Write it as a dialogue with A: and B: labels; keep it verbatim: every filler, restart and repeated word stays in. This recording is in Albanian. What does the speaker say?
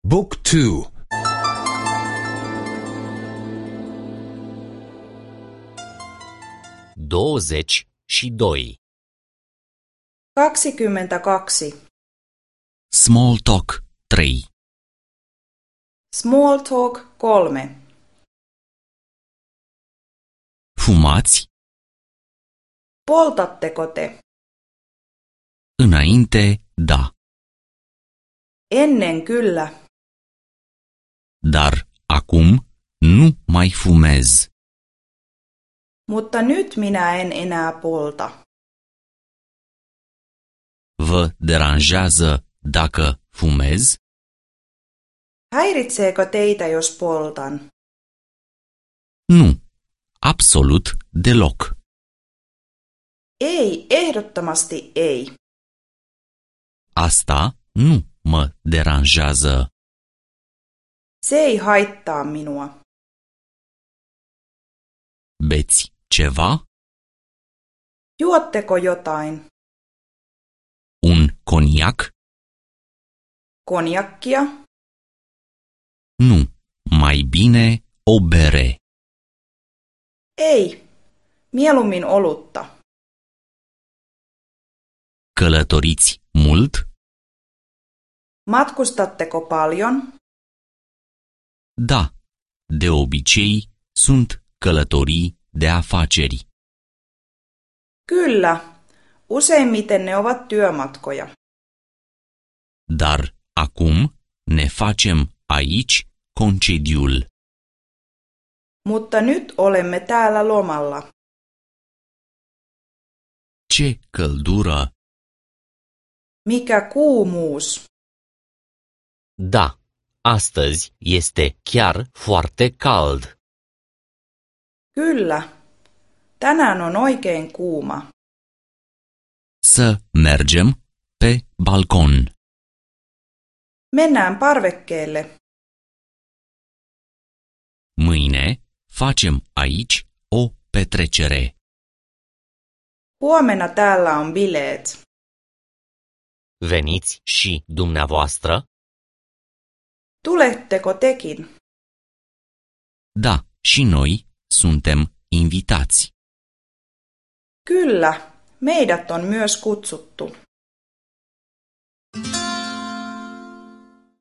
A: Book two.
B: Douăzeci și doi.
C: Kaksikymmentäkaksi.
D: Small talk trei.
C: Small talk kolme.
D: Fumați?
C: Poltatteko te?
D: Înainte, da.
C: Ennen kyllä.
D: Dar acum nu mai fumez.
C: Mutta nyt minä en enää polta.
D: Vă deranjează dacă fumez?
C: Häiritseekö teitä, jos poltan?
D: Nu, absolut deloc.
C: Ei, ehdottomasti ei.
D: Asta nu mă deranjează.
C: Se ei haittaa minua.
D: Beți ceva?
C: Juotteko jotain?
D: Un coniac?
C: Konjakkia?
D: Nu, mai bine o bere.
C: Ei, mieluummin olutta.
D: Călătoriți mult?
C: Matkustatteko paljon?
D: Da, de obicei sunt călătorii de afaceri.
C: Kyllä, useimmiten ne ovat työmatkoja.
D: Dar acum ne facem aici concediul.
C: Mutta nyt olemme täällä lomalla.
D: Ce căldură!
C: Mikä kuumuus!
B: Da, astăzi este chiar foarte cald.
C: Kyllä, tänään on oikein kuuma.
D: Să mergem pe balcon.
C: Mennään parvekkeelle.
D: Mâine facem aici o petrecere.
C: Huomenna täällä on bileet.
B: Veniți și dumneavoastră?
C: Tuletteko tekin?
D: Da, și noi suntem invitați.
C: Kyllä, meidät on myös kutsuttu.